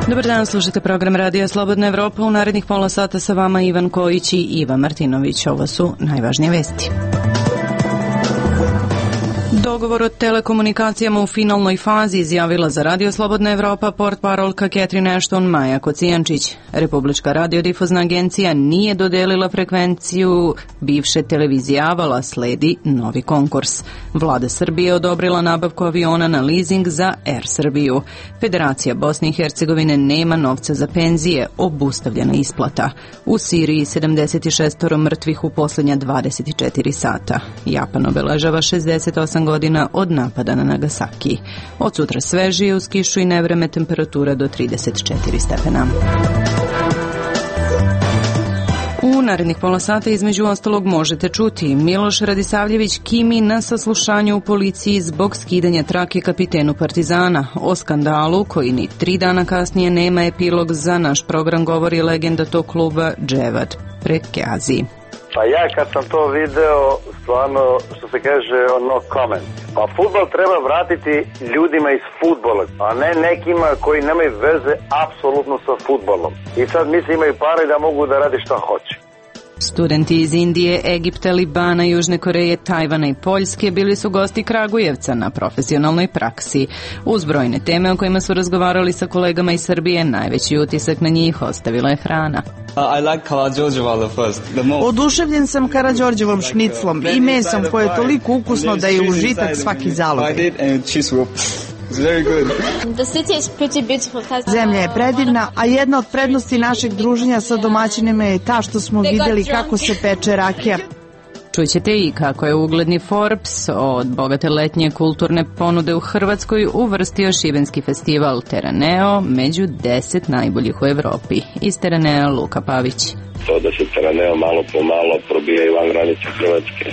Dobar dan, slušate program Radija Slobodna Evropa. U narednih pola sata sa vama Ivan Kojić i Iva Martinović. Ovo su najvažnije vesti. Dogovor o telekomunikacijama u finalnoj fazi, izjavila za Radio Slobodna Evropa portparolka Catherine Ashton Maja Kocijančić. Republička radiodifuzna agencija nije dodelila frekvenciju bivše televizije Avala, sledi novi konkurs. Vlada Srbije odobrila nabavku aviona na leasing za Air Srbiju. Federacija Bosne i Hercegovine nema novca za penzije, obustavljena isplata. U Siriji 76 mrtvih u posljednja 24 sata. Japan obeležava 68 godina od napada na Nagasaki. Od sutra svežije uz kišu i nevreme, temperatura do 34 stepena. U narednih pola sata između ostalog možete čuti: Miloš Radisavljević kimi na saslušanju u policiji zbog skidanja trake kapitenu Partizana. O skandalu koji ni 3 dana kasnije nema epilog, za naš program govori legenda tog kluba Dževad Prekeazi. Pa ja kad sam to video, stvarno, što se kaže, no comment. Pa fudbal treba vratiti ljudima iz fudbala, a ne nekima koji nemaju veze apsolutno sa fudbalom. I sad misli imaju pare da mogu da radi šta hoće. Studenti iz Indije, Egipta, Libana, Južne Koreje, Tajvana i Poljske bili su gosti Kragujevca na profesionalnoj praksi. Uz brojne teme o kojima su razgovarali sa kolegama iz Srbije, najveći utisak na njih ostavila je hrana. Oduševljen sam Karađorđevom šniclom i mesom koje je toliko ukusno da je užitak svaki zalogaj. Zemlja je predivna, a jedna od prednosti našeg druženja sa domaćinima je ta što smo vidjeli kako se peče rakija. Čućete i kako je ugledni Forbes od bogate letnje kulturne ponude u Hrvatskoj uvrstio šibenski festival Teraneo među 10 najboljih u Evropi. Iz Teranea Luka Pavić. To da se Teraneo malo po malo probija i van granice Hrvatske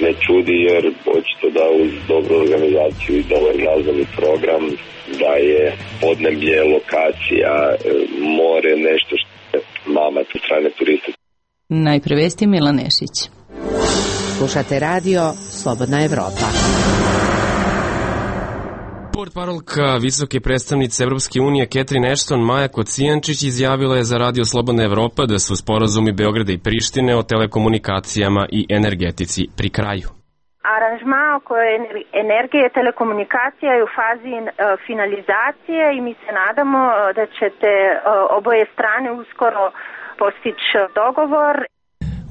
ne čudi, jer očito da uz dobru organizaciju i dobar glazbeni program, da je podneblje, lokacija, more, nešto što je mamac u strane turiste. Najpre vesti Milan Nešić. Slušate radio Slobodna Evropa. Portparolka visoke predstavnice Evropske unije Catherine Ashton Maja Kocijančić izjavila je za Radio Slobodna Evropa da su sporazumi Beograda i Prištine o telekomunikacijama i energetici pri kraju. Aranžma oko energije i telekomunikacija je u fazi finalizacije i mi se nadamo da ćete oboje strane uskoro postići dogovor.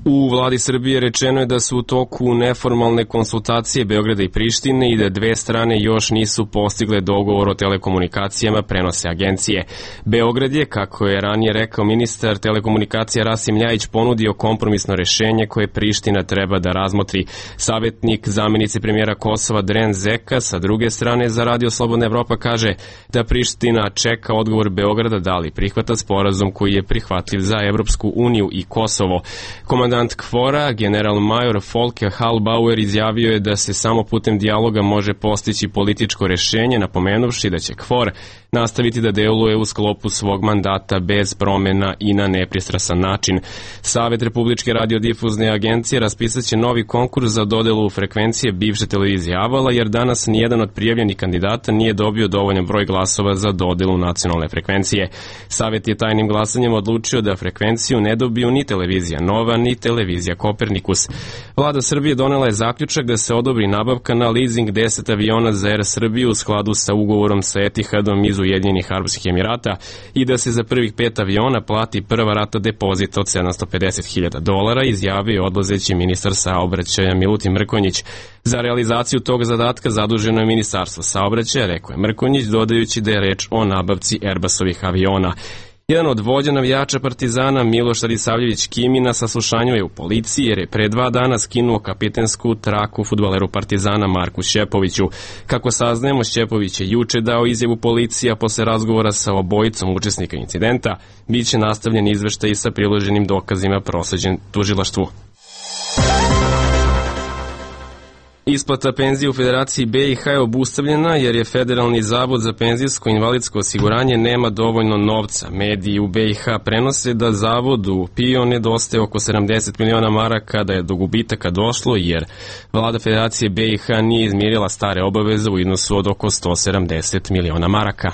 U vladi Srbije rečeno je da su u toku neformalne konsultacije Beograda i Prištine i da dve strane još nisu postigle dogovor o telekomunikacijama, prenose agencije. Beograd je, kako je ranije rekao ministar telekomunikacija Rasim Ljajić, ponudio kompromisno rešenje koje Priština treba da razmotri. Savjetnik zamjenice premijera Kosova Dren Zeka sa druge strane za Radio Slobodna Evropa kaže da Priština čeka odgovor Beograda da li prihvata sporazum koji je prihvatljiv za Evropsku uniju i Kosovo. Komandant KFOR-a, general major Folke Hallbauer, izjavio je da se samo putem dijaloga može postići političko rešenje, napomenuvši da će KFOR nastaviti da deluje u sklopu svog mandata bez promena i na nepristrasan način. Savet Republičke radiodifuzne agencije raspisat će novi konkurs za dodelu frekvencije bivše televizije Avala, jer danas nijedan od prijavljenih kandidata nije dobio dovoljan broj glasova za dodelu nacionalne frekvencije. Savet je tajnim glasanjem odlučio da frekvenciju ne dobiju ni televizija Nova, ni televizija Kopernikus. Vlada Srbije donela je zaključak da se odobri nabavka na leasing 10 aviona za Air Srbiju u skladu sa ugovorom sa Etihadom iz Ujedinjenih Arapskih Emirata i da se za prvih 5 aviona plati prva rata depozita od $750.000, izjavio je odlazeći ministar saobraćaja Milutin Mrkonjić. Za realizaciju tog zadatka zaduženo je Ministarstvo saobraćaja, rekao je Mrkonjić, dodajući da je reč o nabavci Airbusovih aviona. Jedan od vođa navijača Partizana, Miloš Radisavljević kimi, na saslušanju je u policiji jer je pre 2 dana skinuo kapitensku traku fudbaleru Partizana Marku Šćepoviću. Kako saznajemo, Šćepović je juče dao izjavu policiji, a posle razgovora sa obojicom učesnika incidenta biće nastavljen izveštaj sa priloženim dokazima prosleđen tužilaštvu. Isplata penzije u Federaciji BiH je obustavljena jer je Federalni zavod za penzijsko i invalidsko osiguranje nema dovoljno novca. Mediji u BiH prenose da zavodu PIO nedostaje oko 70 miliona maraka, da je do gubitaka došlo jer vlada Federacije BiH nije izmirila stare obaveze u iznosu od oko 170 miliona maraka.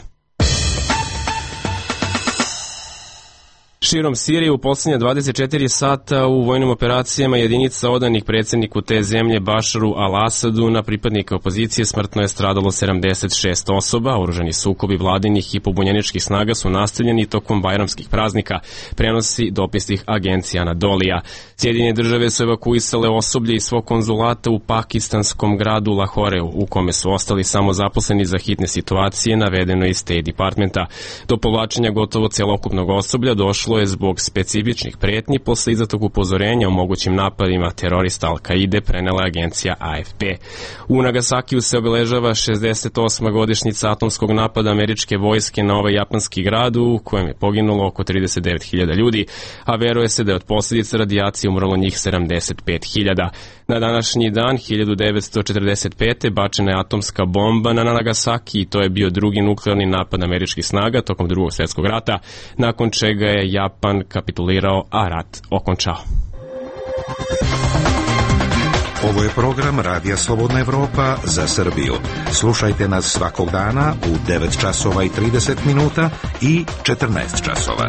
Širom Sirije u posljednja 24 sata u vojnim operacijama jedinica odanih predsjedniku te zemlje Bašaru al-Asadu na pripadnika opozicije smrtno je stradalo 76 osoba. Oružani sukobi vladinih i pobunjeničkih snaga su nastavljeni tokom bajramskih praznika, prenosi dopisnih agencija Anadolija. Sjedinjene države su evakuisale osoblje iz svog konzulata u pakistanskom gradu Lahoreu, u kome su ostali samo zaposleni za hitne situacije, navedeno iz State Departmenta. Do povlačenja gotovo celokupnog osoblja došlo je zbog specifičnih pretnji posle izdatog upozorenja o mogućim napadima terorista Al-Kaide, prenela agencija AFP. U Nagasakiju se obeležava 68. godišnjica atomskog napada američke vojske na ovaj japanski grad, u kojem je poginulo oko 39.000 ljudi, a veruje se da je od posljedica radijacije umrlo njih 75.000. Na današnji dan 1945. bačena je atomska bomba na Nagasaki i to je bio drugi nuklearni napad američkih snaga tokom Drugog svjetskog rata, nakon čega je Japan kapitulirao, a rat okončao. Ovo je program Radija Slobodna Evropa za Srbiju. Slušajte nas svakog dana u 9 časova i 30 minuta i 14 časova.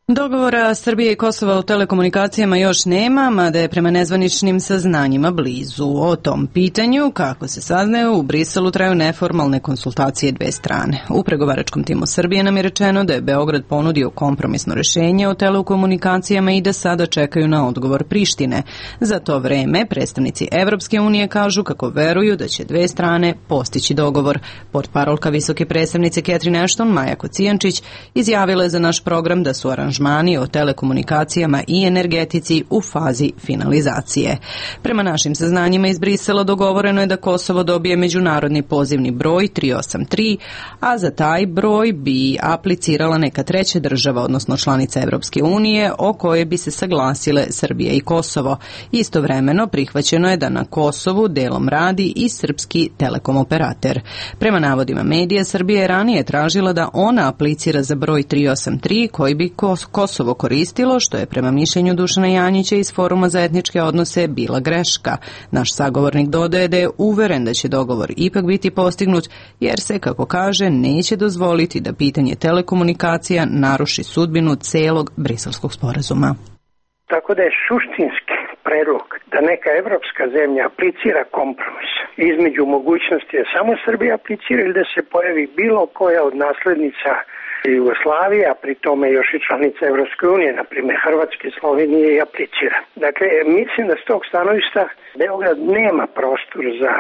Dogovora Srbije i Kosova o telekomunikacijama još nema, mada je prema nezvaničnim saznanjima blizu. O tom pitanju, kako se saznaje, u Briselu traju neformalne konsultacije dve strane. U pregovaračkom timu Srbije nam je rečeno da je Beograd ponudio kompromisno rešenje o telekomunikacijama i da sada čekaju na odgovor Prištine. Za to vreme predstavnici Evropske unije kažu kako veruju da će dve strane postići dogovor. Portparolka visoke predstavnice Catherine Ashton, Maja Kocijančić, izjavila je za naš program da su aranžmani o telekomunikacijama i energetici u fazi finalizacije. Prema našim saznanjima iz Brisela dogovoreno je da Kosovo dobije međunarodni pozivni broj 383, a za taj broj bi aplicirala neka treća država, odnosno članica Evropske unije, o kojoj bi se saglasile Srbija i Kosovo. Istovremeno prihvaćeno je da na Kosovu delom radi i srpski telekom operater. Prema navodima medija, Srbija je ranije tražila da ona aplicira za broj 383 koji bi Kosovo koristilo, što je prema mišljenju Dušana Janjića iz Foruma za etničke odnose bila greška. Naš sagovornik dodaje da je uveren da će dogovor ipak biti postignut, jer se, kako kaže, neće dozvoliti da pitanje telekomunikacija naruši sudbinu celog briselskog sporazuma. Tako da je suštinski predlog da neka evropska zemlja aplicira kompromis između mogućnosti da samo Srbija aplicira ili da se pojavi bilo koja od naslednica Jugoslavije, a pri tome još i članica Evropske unije, na primjer Hrvatske, Slovenije, i aplicira. Dakle, mislim da s tog stanovišta Beograd nema prostor za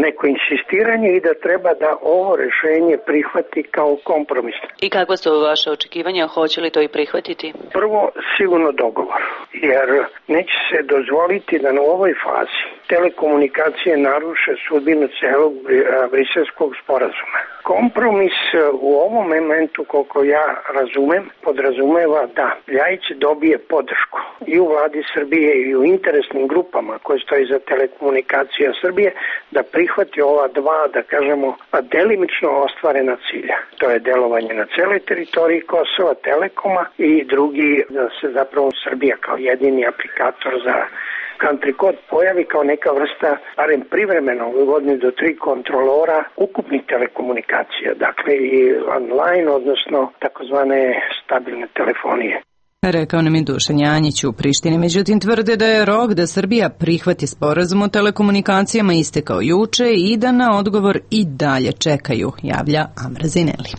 neko insistiranje i da treba da ovo rešenje prihvati kao kompromis. I kakva su vaše očekivanja? Hoće li to i prihvatiti? Prvo, sigurno dogovor, jer neće se dozvoliti da na ovoj fazi telekomunikacije naruše sudbinu celog briselskog sporazuma. Kompromis u ovom momentu, koliko ja razumem, podrazumeva da Ljajić dobije podršku i u vladi Srbije i u interesnim grupama koje stoji za telekomunikacija Srbije, da prihvati ova dva, da kažemo, delimično ostvarena cilja. To je delovanje na celoj teritoriji Kosova, Telekoma, i drugi, da se zapravo Srbija kao jedini aplikator za country code pojavi kao neka vrsta, barem privremeno, u godini do 3 kontrolora ukupnih telekomunikacija, dakle i online, odnosno takozvane stabilne telefonije. Rekao nam je Dušan Janjić u Prištini, međutim tvrde da je rok da Srbija prihvati sporazum o telekomunikacijama istekao juče i da na odgovor i dalje čekaju, javlja Amra Zineli.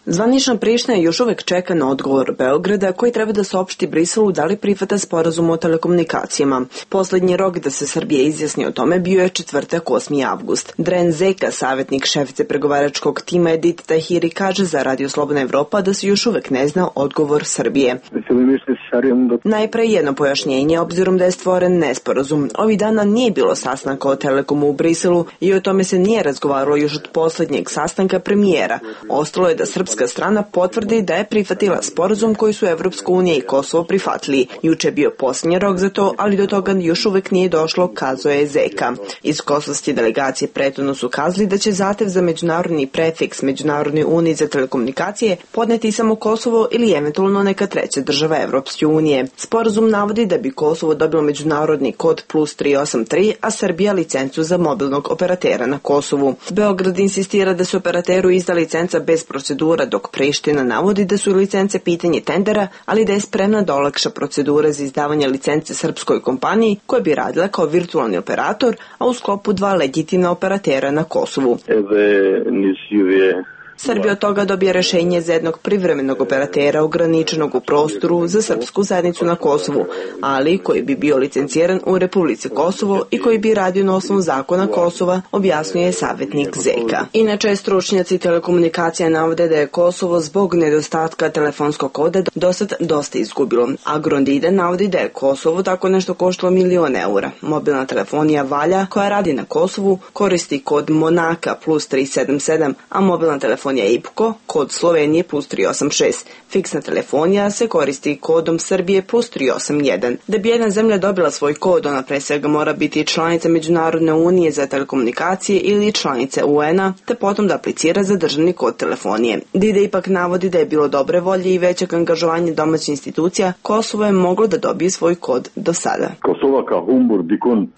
Zvanična Priština još uvek čeka na odgovor Beograda, koji treba da saopšti Briselu da li prihvata sporazum o telekomunikacijama. Poslednji rok da se Srbija izjasni o tome bio je četvrtak 8. avgust. Dren Zeka, savjetnik šefice pregovaračkog tima Edith Tahiri, kaže za Radio Slobodna Evropa da se još uvek ne zna odgovor Srbije. Najpre jedno pojašnjenje, obzirom da je stvoren nesporazum. Ovih dana nije bilo sastanka o Telekomu u Briselu i o tome se nije razgovaralo još od poslednjeg sastanka premijera. Ostalo je da srpska srpska strana potvrdi da je prihvatila sporazum koji su Evropska unija i Kosovo prihvatili. Juče je bio posljednji rok za to, ali do toga još uvek nije došlo, kazao je Zeka. Iz kosovske delegacije prethodno su kazali da će zahtev za međunarodni prefiks Međunarodnoj uniji za telekomunikacije podneti samo Kosovo ili eventualno neka treća država Evropske unije. Sporazum navodi da bi Kosovo dobilo međunarodni kod plus 383, a Srbija licencu za mobilnog operatera na Kosovu. Beograd insistira da se operateru izda licenca bez procedura, dok Priština navodi da su licence pitanje tendera, ali da je spremna da olakša procedure za izdavanje licence srpskoj kompaniji koja bi radila kao virtualni operator, a u sklopu 2 legitimna operatera na Kosovu. Srbija od toga dobije rešenje za jednog privremenog operatera ograničenog u prostoru za srpsku zajednicu na Kosovu, ali koji bi bio licenciran u Republici Kosovo i koji bi radio na osnovu zakona Kosova, objasnjuje savjetnik Zeka. Inače, stručnjaci telekomunikacija navode da je Kosovo zbog nedostatka telefonskog koda dosad dosta izgubilo. Agrondide navodi da je Kosovo tako nešto koštalo €1.000.000. Mobilna telefonija Valja, koja radi na Kosovu, koristi kod Monaka plus 377, a mobilna telefonija IPKO, kod Slovenije plus 386. Fiksna telefonija se koristi kodom Srbije plus 381. Da bi jedna zemlja dobila svoj kod, ona pre svega mora biti članica Međunarodne unije za telekomunikacije ili članica UN-a, te potom da aplicira za državni kod telefonije. Dide ipak navodi da je bilo dobre volje i većeg angažovanja domaćih institucija, Kosovo je moglo da dobije svoj kod do sada.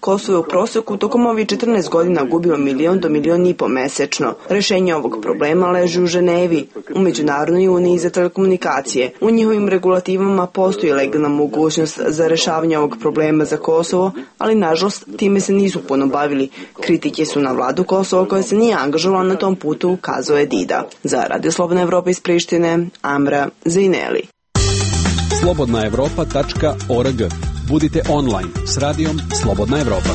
Kosovo je u proseku tokom ovih 14 godina gubilo $1 do $1.500.000 mesečno. Rešenje ovog problema leži u Ženevi, u Međunarodnoj uniji za telekomunikacije. U njihovim regulativama postoji legalna mogućnost za rešavanje ovog problema za Kosovo, ali nažalost time se nisu puno bavili. Kritike su na vladu Kosova koja se nije angažovala na tom putu, ukazao je Dida. Za Radio Slobodna Evropa iz Prištine, Amra Zejneli. slobodnaevropa.org. Budite online s radijom Slobodna Evropa.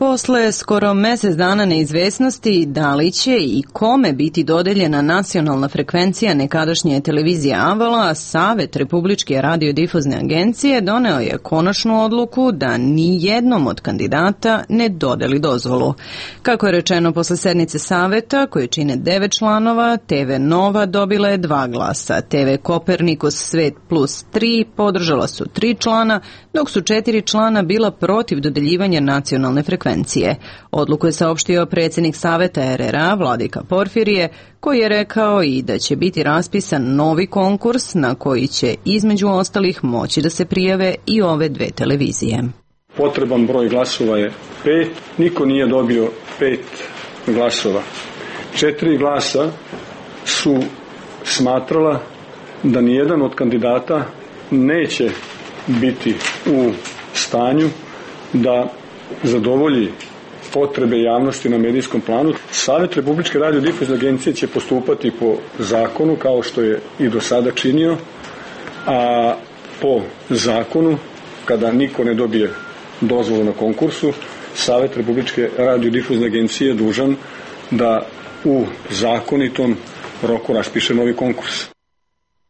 Posle skoro mesec dana neizvesnosti da li će i kome biti dodeljena nacionalna frekvencija nekadašnje televizije Avala, Savet Republičke radiodifuzne agencije doneo je konačnu odluku da ni jednom od kandidata ne dodeli dozvolu. Kako je rečeno posle sednice Saveta, koje čine 9 članova, TV Nova dobila je 2 glasa, TV Kopernikus Svet plus 3 podržala su 3 člana, dok su 4 člana bila protiv dodeljivanja nacionalne frekvencije. Odluku je saopštio predsjednik Saveta RRA Vladika Porfirije, koji je rekao i da će biti raspisan novi konkurs na koji će između ostalih moći da se prijave i ove 2 televizije. Potreban broj glasova je 5, niko nije dobio 5 glasova. 4 glasa su smatrala da nijedan od kandidata neće biti u stanju da zadovolji potrebe javnosti na medijskom planu. Savet Republičke radiodifuzne agencije će postupati po zakonu kao što je i do sada činio, a po zakonu, kada niko ne dobije dozvolu na konkursu, Savet Republičke radiodifuzne agencije je dužan da u zakonitom roku raspiše novi konkurs.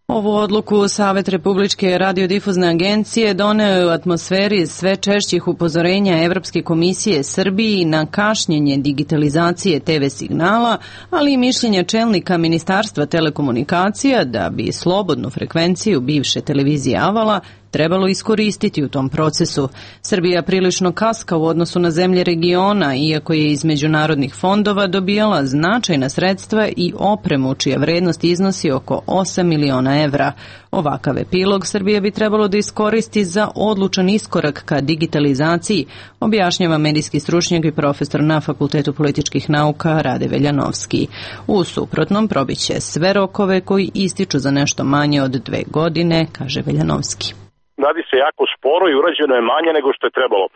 Ovu odluku Savet Republičke radiodifuzne agencije doneo je u atmosferi sve češćih upozorenja Evropske komisije Srbiji na kašnjenje digitalizacije TV signala, ali i mišljenja čelnika Ministarstva telekomunikacija da bi slobodnu frekvenciju bivše televizije Avala trebalo iskoristiti u tom procesu. Srbija prilično kaska u odnosu na zemlje regiona, iako je iz međunarodnih fondova dobijala značajna sredstva i opremu čija vrednost iznosi oko 8 miliona evra. Ovakav epilog Srbija bi trebalo da iskoristi za odlučan iskorak ka digitalizaciji, objašnjava medijski stručnjak i profesor na Fakultetu političkih nauka Rade Veljanovski. U suprotnom probiće sve rokove koji ističu za nešto manje od 2 godine, kaže Veljanovski. Radi se jako sporo i urađeno je manje nego što je trebalo.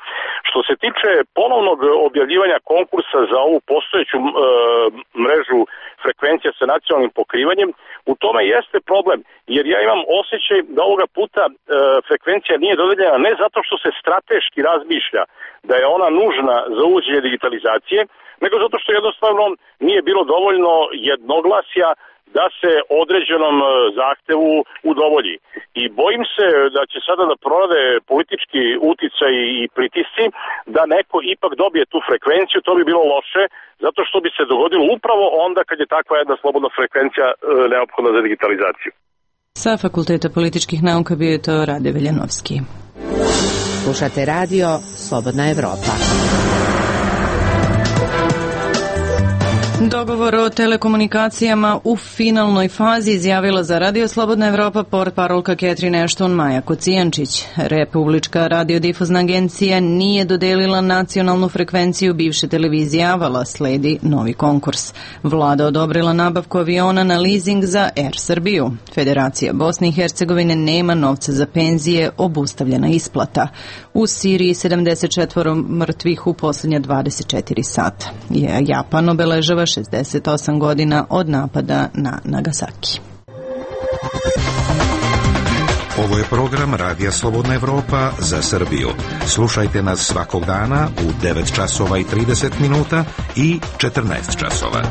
Što se tiče ponovnog objavljivanja konkursa za ovu postojeću mrežu frekvencija sa nacionalnim pokrivanjem, U tome jeste problem, jer ja imam osjećaj da ovoga puta frekvencija nije dodeljena ne zato što se strateški razmišlja da je ona nužna za uvođenje digitalizacije, nego zato što jednostavno nije bilo dovoljno jednoglasja da se određenom zahtevu udovolji. I bojim se da će sada da prorade politički uticaj i pritisci da neko ipak dobije tu frekvenciju. To bi bilo loše, zato što bi se dogodilo upravo onda kad je takva jedna slobodna frekvencija neophodna za digitalizaciju. Sa Fakulteta političkih nauka bio je to Rade Veljanovski. Slušate radio Slobodna Evropa. Dogovor o telekomunikacijama u finalnoj fazi izjavila za Radio Slobodna Evropa portparolka Catherine Ashton Maja Kocijančić. Republička radiodifuzna agencija nije dodelila nacionalnu frekvenciju bivše televizije Avala, sledi novi konkurs. Vlada odobrila nabavku aviona na leasing za Air Srbiju. Federacija Bosne i Hercegovine nema novca za penzije, obustavljena isplata. U Siriji 74 mrtvih u posljednja 24 sata. Japan obeležava 68 godina od napada na Nagasaki. Ovo je program Radija Slobodna Evropa za Srbiju. Slušajte nas svakog dana u 9 časova i 30 minuta i 14 časova.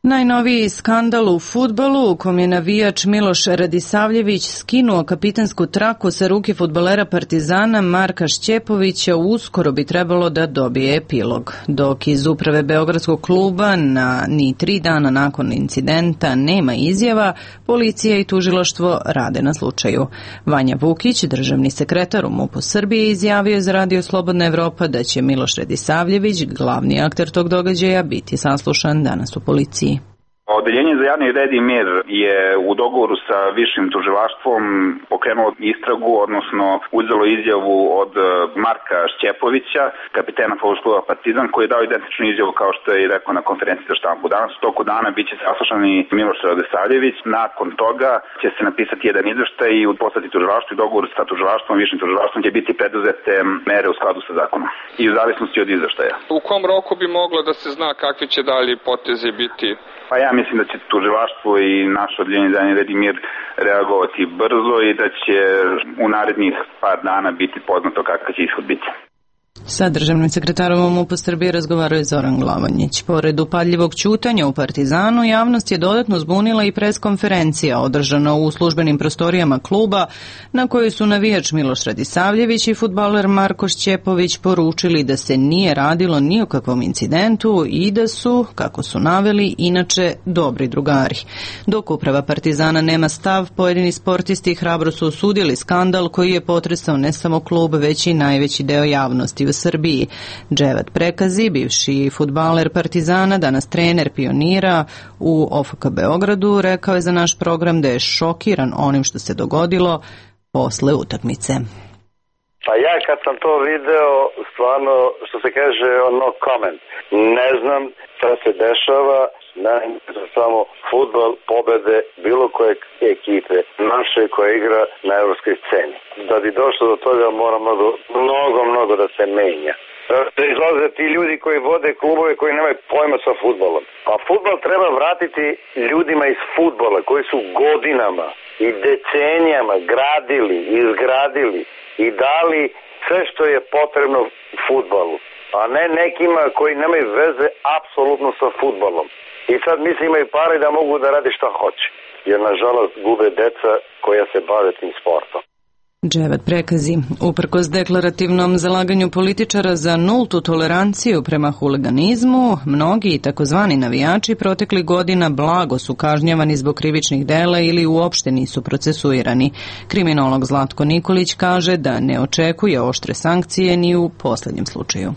Najnoviji skandal u fudbalu u kom je navijač Miloš Radisavljević skinuo kapitensku traku sa ruke fudbalera Partizana Marka Šćepovića uskoro bi trebalo da dobije epilog. Dok iz uprave Beogradskog kluba ni 3 dana nakon incidenta nema izjava, policija i tužilaštvo rade na slučaju. Vanja Vukić, državni sekretar u MUP-u Srbije, izjavio za Radio Slobodna Evropa da će Miloš Radisavljević, glavni akter tog događaja, biti saslušan danas u policiji. Odeljenje za javni red i mir je u dogovoru sa višim tužilaštvom pokrenulo istragu, odnosno uzelo izjavu od Marka Šćepovića, kapitena fudbalskog kluba Partizan, koji je dao identičnu izjavu kao što je i rekao na konferenciji za štampu. Danas u toku dana biće saslušan i Miloš Radisavljević. Nakon toga će se napisati jedan izveštaj i poslati tužilaštvu i dogovor sa tužilaštvom, višim tužilaštvom će biti preduzete mere u skladu sa zakonom i u zavisnosti od izveštaja. U kom roku bi moglo da se zna kakvi će dalje potezi biti? Pa ja mislim da će tužilaštvo i naše odeljenje za javni red i mir reagovati brzo i da će u narednih par dana biti poznato kakav će ishod biti. Sa državnim sekretarom u MUP-u Srbije razgovarao je Zoran Glavanjić. Pored upadljivog ćutanja u Partizanu, javnost je dodatno zbunila i preskonferencija održana u službenim prostorijama kluba na kojoj su navijač Miloš Radisavljević i fudbaler Marko Šćepović poručili da se nije radilo ni o kakvom incidentu i da su, kako su naveli, inače dobri drugari. Dok uprava Partizana nema stav, pojedini sportisti hrabro su osudili skandal koji je potresao ne samo klub, već i najveći deo javnosti u Srbiji. Dževat Prekazi, bivši fudbaler Partizana, danas trener Pionira u OFK Beogradu, rekao je za naš program da je šokiran onim što se dogodilo posle utakmice. Pa ja kad sam to video, stvarno, što se kaže, no comment. Ne znam šta se dešava, za samo fudbal, pobede bilo koje ekipe naše koja igra na evropskoj sceni. Da bi došlo do toga mora mnogo da se menja. Da izlaze ti ljudi koji vode klubove koji nemaju pojma sa fudbalom. Pa fudbal treba vratiti ljudima iz fudbala koji su godinama i decenijama gradili, izgradili i dali sve što je potrebno fudbalu, a ne nekima koji nemaju veze apsolutno sa fudbalom. I sad mislim imaju pare da mogu da rade šta hoće, jer nažalost gube deca koja se bave tim sportom. Dževat Prekazi, uprkos deklarativnom zalaganju političara za nultu toleranciju prema huliganizmu, mnogi takozvani navijači protekli godina blago su kažnjavani zbog krivičnih dela ili uopšte nisu procesuirani. Kriminolog Zlatko Nikolić kaže da ne očekuje oštre sankcije ni u poslednjem slučaju.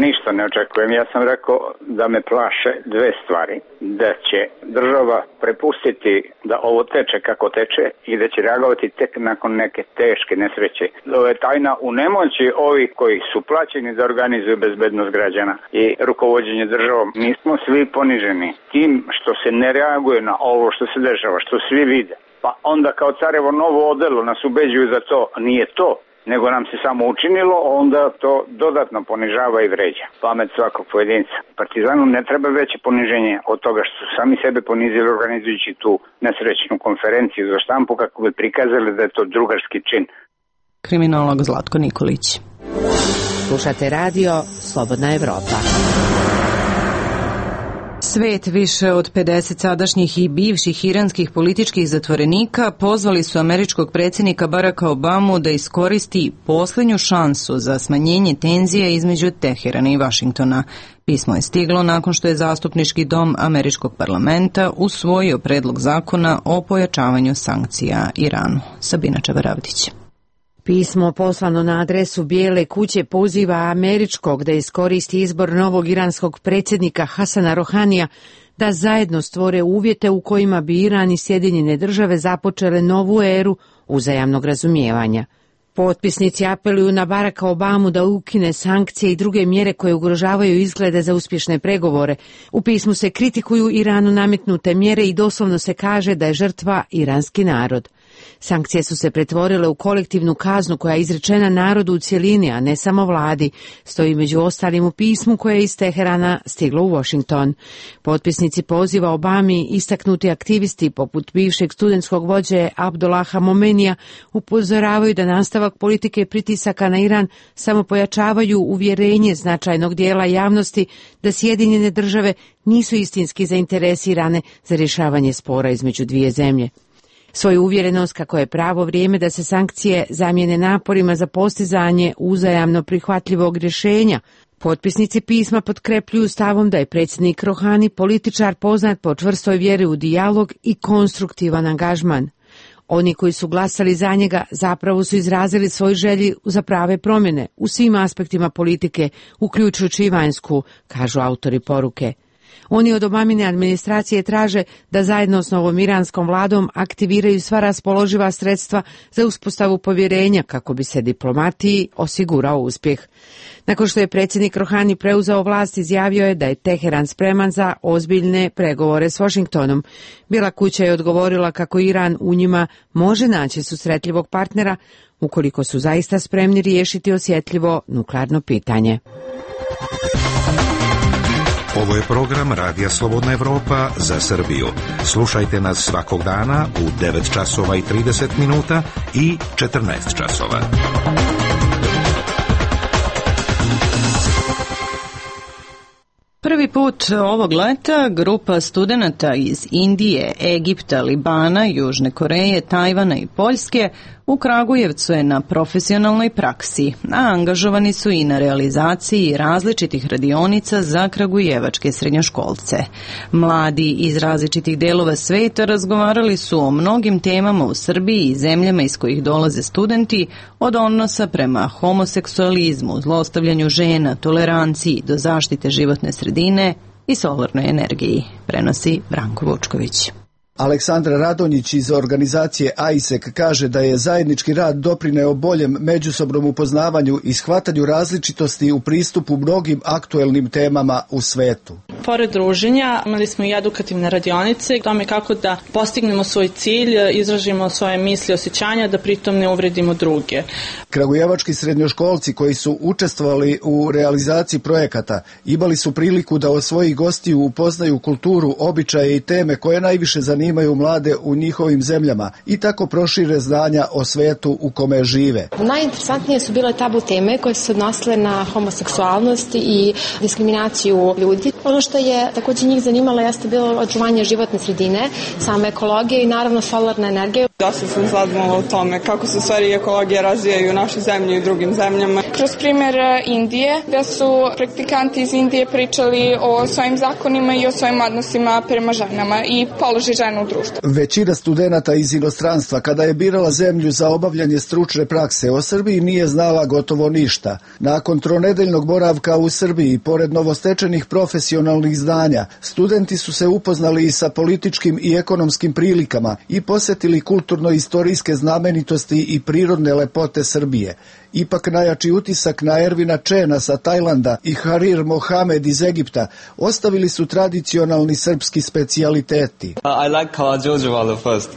Ništa ne očekujem. Ja sam rekao da me plaše dve stvari. Da će država prepustiti da ovo teče kako teče i da će reagovati tek nakon neke teške nesreće. Ovo je tajna u nemoći ovih koji su plaćeni da organizuju bezbednost građana i rukovođenje državom. Mi smo svi poniženi tim što se ne reaguje na ovo što se dešava, što svi vide. Pa onda kao carevo novo odelo nas ubeđuju za to. Nije to. nego nam se samo učinilo, onda to dodatno ponižava i vređa pamet svakog pojedinca. Partizanu ne treba veće poniženje od toga što su sami sebe ponizili organizujući tu nesrećnu konferenciju za štampu kako bi prikazali da je to drugarski čin. Kriminolog Zlatko Nikolić. Slušate radio Slobodna Evropa. Svet, više od 50 sadašnjih i bivših iranskih političkih zatvorenika pozvali su američkog predsjednika Baracka Obamu da iskoristi posljednju šansu za smanjenje tenzije između Teherana i Vašingtona. Pismo je stiglo nakon što je zastupnički dom američkog parlamenta usvojio predlog zakona o pojačavanju sankcija Iranu. Sabina Čabaravdić. Pismo poslano na adresu Bijele kuće poziva američkog da iskoristi izbor novog iranskog predsjednika Hasana Rohanija da zajedno stvore uvjete u kojima bi Iran i Sjedinjene Države započele novu eru uzajamnog razumijevanja. Potpisnici apeluju na Baracka Obamu da ukine sankcije i druge mjere koje ugrožavaju izglede za uspješne pregovore. U pismu se kritikuju Iranu nametnute mjere i doslovno se kaže da je žrtva iranski narod. Sankcije su se pretvorile u kolektivnu kaznu koja je izrečena narodu u cjelini, a ne samo vladi, stoji među ostalim u pismu koje je iz Teherana stiglo u Washington. Potpisnici poziva Obami istaknuti aktivisti poput bivšeg studentskog vođe Abdullaha Momenija upozoravaju da nastavak politike pritisaka na Iran samo pojačavaju uvjerenje značajnog dijela javnosti da Sjedinjene Države nisu istinski zainteresirane za rješavanje spora između dvije zemlje. Svoju uvjerenost kako je pravo vrijeme da se sankcije zamijene naporima za postizanje uzajamno prihvatljivog rješenja, potpisnici pisma potkrepljuju stavom da je predsjednik Rohani političar poznat po čvrstoj vjeri u dijalog i konstruktivan angažman. Oni koji su glasali za njega zapravo su izrazili svoj želji za prave promjene u svim aspektima politike, uključujući i vanjsku, kažu autori poruke. Oni od Obamine administracije traže da zajedno s novom iranskom vladom aktiviraju sva raspoloživa sredstva za uspostavu povjerenja kako bi se diplomatiji osigurao uspjeh. Nakon što je predsjednik Rohani preuzeo vlast, izjavio je da je Teheran spreman za ozbiljne pregovore s Washingtonom. Bijela kuća je odgovorila kako Iran u njima može naći susretljivog partnera ukoliko su zaista spremni riješiti osjetljivo nuklearno pitanje. Ovo je program Radija Slobodna Evropa za Srbiju. Slušajte nas svakog dana u 9 časova i 30 minuta i 14 časova. Prvi put ovog leta grupa studenata iz Indije, Egipta, Libana, Južne Koreje, Tajvana i Poljske u Kragujevcu je na profesionalnoj praksi, a angažovani su i na realizaciji različitih radionica za kragujevačke srednjoškolce. Mladi iz različitih delova sveta razgovarali su o mnogim temama u Srbiji i zemljama iz kojih dolaze studenti, od odnosa prema homoseksualizmu, zlostavljanju žena, toleranciji do zaštite životne sredine i solarnoj energiji, prenosi Branko Vučković. Aleksandra Radonjić iz organizacije AISEC kaže da je zajednički rad doprineo boljem međusobnom upoznavanju i shvatanju različitosti u pristupu mnogim aktuelnim temama u svetu. Pored druženja imali smo i edukativne radionice, tome kako da postignemo svoj cilj, izražimo svoje misli, osjećanja, da pritom ne uvredimo druge. Kragujevački srednjoškolci koji su učestvovali u realizaciji projekata imali su priliku da od svojih gostiju upoznaju kulturu, običaje i teme koje najviše zanimaju mlade u njihovim zemljama i tako prošire znanja o svetu u kome žive. Najinteresantnije su bile tabu teme koje su se odnosile na homoseksualnost i diskriminaciju ljudi. Ono što je također njih zanimalo jeste bilo očuvanje životne sredine, same ekologije i naravno solarna energija. Dosta sam saznala o tome kako se stvari ekologije razvijaju u našoj zemlji i drugim zemljama. Kroz primjer Indije, gdje su praktikanti iz Indije pričali o svojim zakonima i o svojim odnosima prema ženama i položaj žena u društvu. Većina studenata iz inostranstva kada je birala zemlju za obavljanje stručne prakse o Srbiji nije znala gotovo ništa. Nakon tronedeljnog boravka u Srbiji, pored novostečenih profesionalnih znanja, studenti su se upoznali i sa političkim i ekonomskim prilikama i posjetili kulturno-istorijske znamenitosti i prirodne lepote Srbije. Ipak najjači utisak na Ervina Čena sa Tajlanda i Harir Mohamed iz Egipta ostavili su tradicionalni srpski specijaliteti. I like Karađorđevalu first.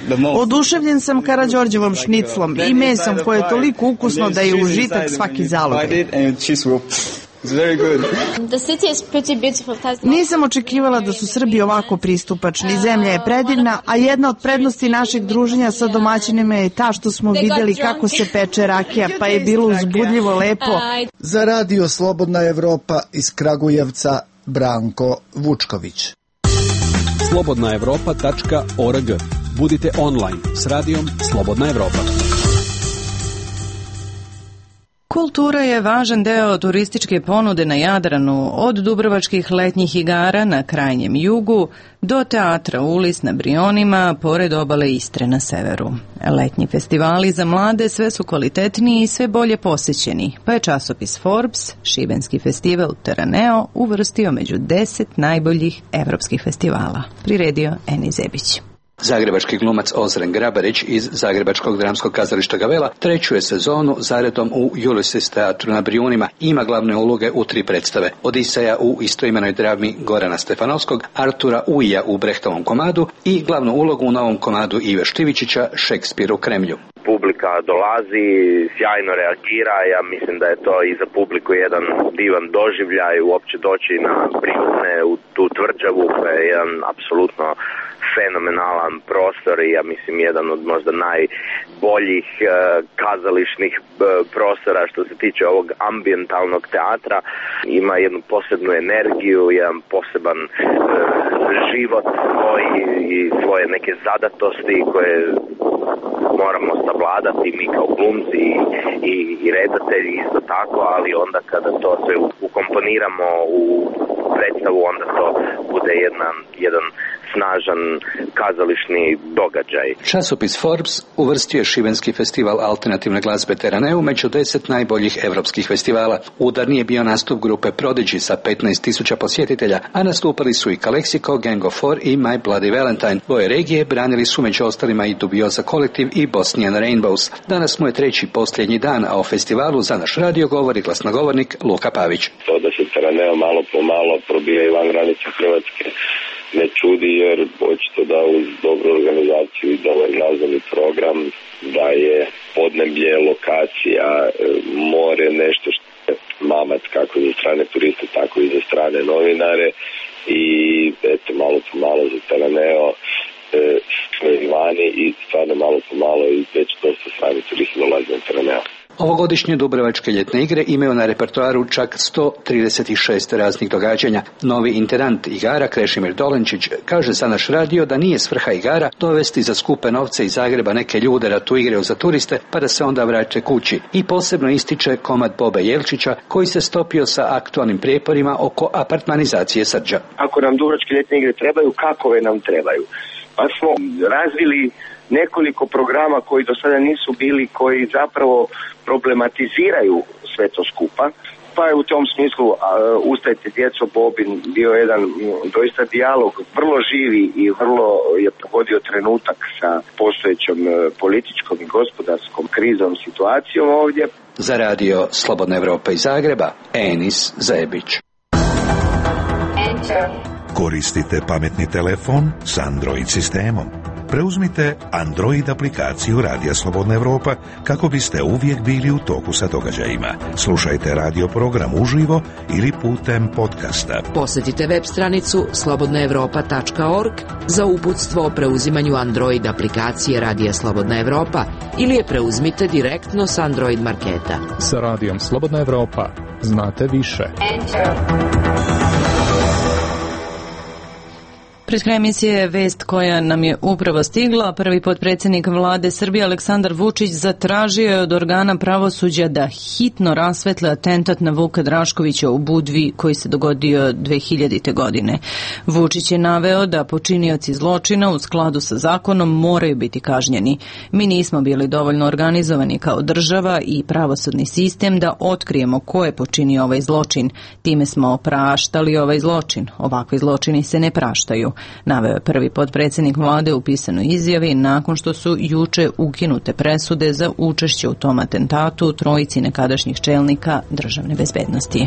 The most. Oduševljen sam Karađorđevom šniclom i mesom koje je toliko ukusno da je užitak svaki zalog. Nisam očekivala da su Srbi ovako pristupačni. Zemlja je predivna, a jedna od prednosti našeg druženja sa domaćinima je ta što smo vidjeli kako se peče rakija, pa je bilo uzbudljivo lepo. Za Radio Slobodna Evropa iz Kragujevca, Branko Vučković. slobodnaevropa.org. Budite online s radijom Slobodna Evropa. Kultura je važan deo turističke ponude na Jadranu, od dubrovačkih letnjih igara na krajnjem jugu do teatra Ulis na Brionima, pored obale Istre na severu. Letnji festivali za mlade sve su kvalitetniji i sve bolje posećeni, pa je časopis Forbes šibenski festival Teraneo uvrstio među 10 najboljih evropskih festivala. Priredio Eni Zebić. Zagrebački glumac Ozren Grabarić iz Zagrebačkog dramskog kazališta Gavela treću je sezonu zaredom u Ulysses teatru na Brijunima. Ima glavne uloge u 3 predstave. Odiseja u istoimenoj drami Gorana Stefanovskog, Artura Uija u Brehtovom komadu i glavnu ulogu u novom komadu Ive Štivičića, Šekspir u Kremlju. Publika dolazi, sjajno reagira, ja mislim da je to i za publiku jedan divan doživljaj uopće doći na Brijune, u tu tvrđavu koja je jedan apsolutno fenomenalan prostor i ja mislim jedan od možda najboljih kazališnih prostora što se tiče ovog ambijentalnog teatra. Ima jednu posebnu energiju, jedan poseban život svoj i svoje neke zadatosti koje moramo savladati mi kao glumci i redatelji isto tako, ali onda kada to sve ukomponiramo u predstavu, onda to bude jedan snažan kazališni događaj. Časopis Forbes uvrstio je šibenski festival alternativne glazbe Teraneu među 10 najboljih evropskih festivala. Udarni je bio nastup grupe Prodigy sa 15.000 posjetitelja, a nastupali su i Calexico, Gang of Four i My Bloody Valentine. Boje regije branili su među ostalima i Dubioza kolektiv i Bosnian Rainbows. Danas mu je 3. posljednji dan, a o festivalu za naš radio govori glasnogovornik Luka Pavić. To da se Teraneo malo po malo probija i van granica Hrvatske ne čudi, jer očito da uz dobru organizaciju i dobar glazbeni program, da je podneblje, lokacija, more, nešto što je mamac kako za strane turiste, tako i za strane novinare i eto, malo po malo za Teraneo smo vani i stvarno malo po malo i već dosta strani turisti dolaze na Teraneo. Ovogodišnje Dubrovačke ljetne igre imaju na repertoaru čak 136 raznih događanja. Novi intendant igara Krešimir Dolenčić kaže za naš radio da nije svrha igara dovesti za skupe novce iz Zagreba neke ljude da tu igraju za turiste pa da se onda vraće kući. I posebno ističe komad Bobe Jelčića koji se stopio sa aktualnim prijeporima oko apartmanizacije Srđa. Ako nam Dubrovačke ljetne igre trebaju, kakove nam trebaju? Pa smo razvili nekoliko programa koji do sada nisu bili, koji zapravo problematiziraju sve to skupa. Pa je u tom smislu Ustajte djeco Bobin bio jedan doista dijalog, vrlo živi i vrlo je pogodio trenutak sa postojećom političkom i gospodarskom krizom situacijom ovdje. Za radio Slobodna Evropa iz Zagreba, Enis Zebić. Koristite pametni telefon s Android sistemom. Preuzmite Android aplikaciju Radija Slobodna Evropa kako biste uvijek bili u toku sa događajima. Slušajte radio program uživo ili putem podcasta. Posjetite web stranicu slobodnaevropa.org za uputstvo o preuzimanju Android aplikacije Radija Slobodna Evropa ili je preuzmite direktno s Android marketa. Sa Radijom Slobodna Evropa znate više. Pred krajem emisije je vest koja nam je upravo stigla. Prvi potpredsjednik vlade Srbije Aleksandar Vučić zatražio je od organa pravosuđa da hitno rasvetle atentat na Vuka Draškovića u Budvi koji se dogodio 2000. godine. Vučić je naveo da počinioci zločina u skladu sa zakonom moraju biti kažnjeni. Mi nismo bili dovoljno organizovani kao država i pravosudni sistem da otkrijemo ko je počinio ovaj zločin. Time smo praštali ovaj zločin. Ovakvi zločini se ne praštaju. naveo je prvi potpredsjednik vlade u pisanoj izjavi nakon što su juče ukinute presude za učešće u tom atentatu trojici nekadašnjih čelnika državne bezbednosti.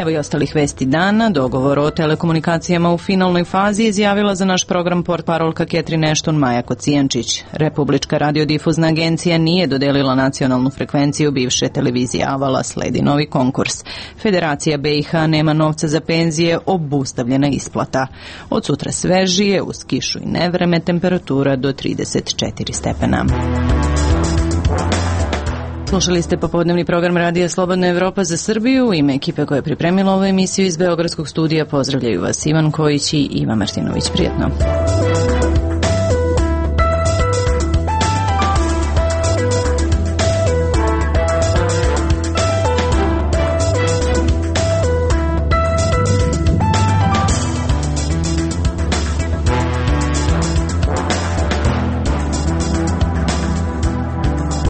Evo i ostalih vesti dana. Dogovor o telekomunikacijama u finalnoj fazi izjavila za naš program portparolka Catherine Ashton Maja Kocijančić. Republička radiodifuzna agencija nije dodelila nacionalnu frekvenciju bivše televizije Avala, sledi novi konkurs. Federacija BiH nema novca za penzije, obustavljena isplata. Od sutra svežije, uz kišu i nevreme, temperatura do 34 stepena. Slušali ste popodnevni program Radija Slobodna Evropa za Srbiju. U ime ekipe koja je pripremila ovu emisiju iz Beogradskog studija pozdravljaju vas Ivan Kojić i Iva Martinović. Prijetno.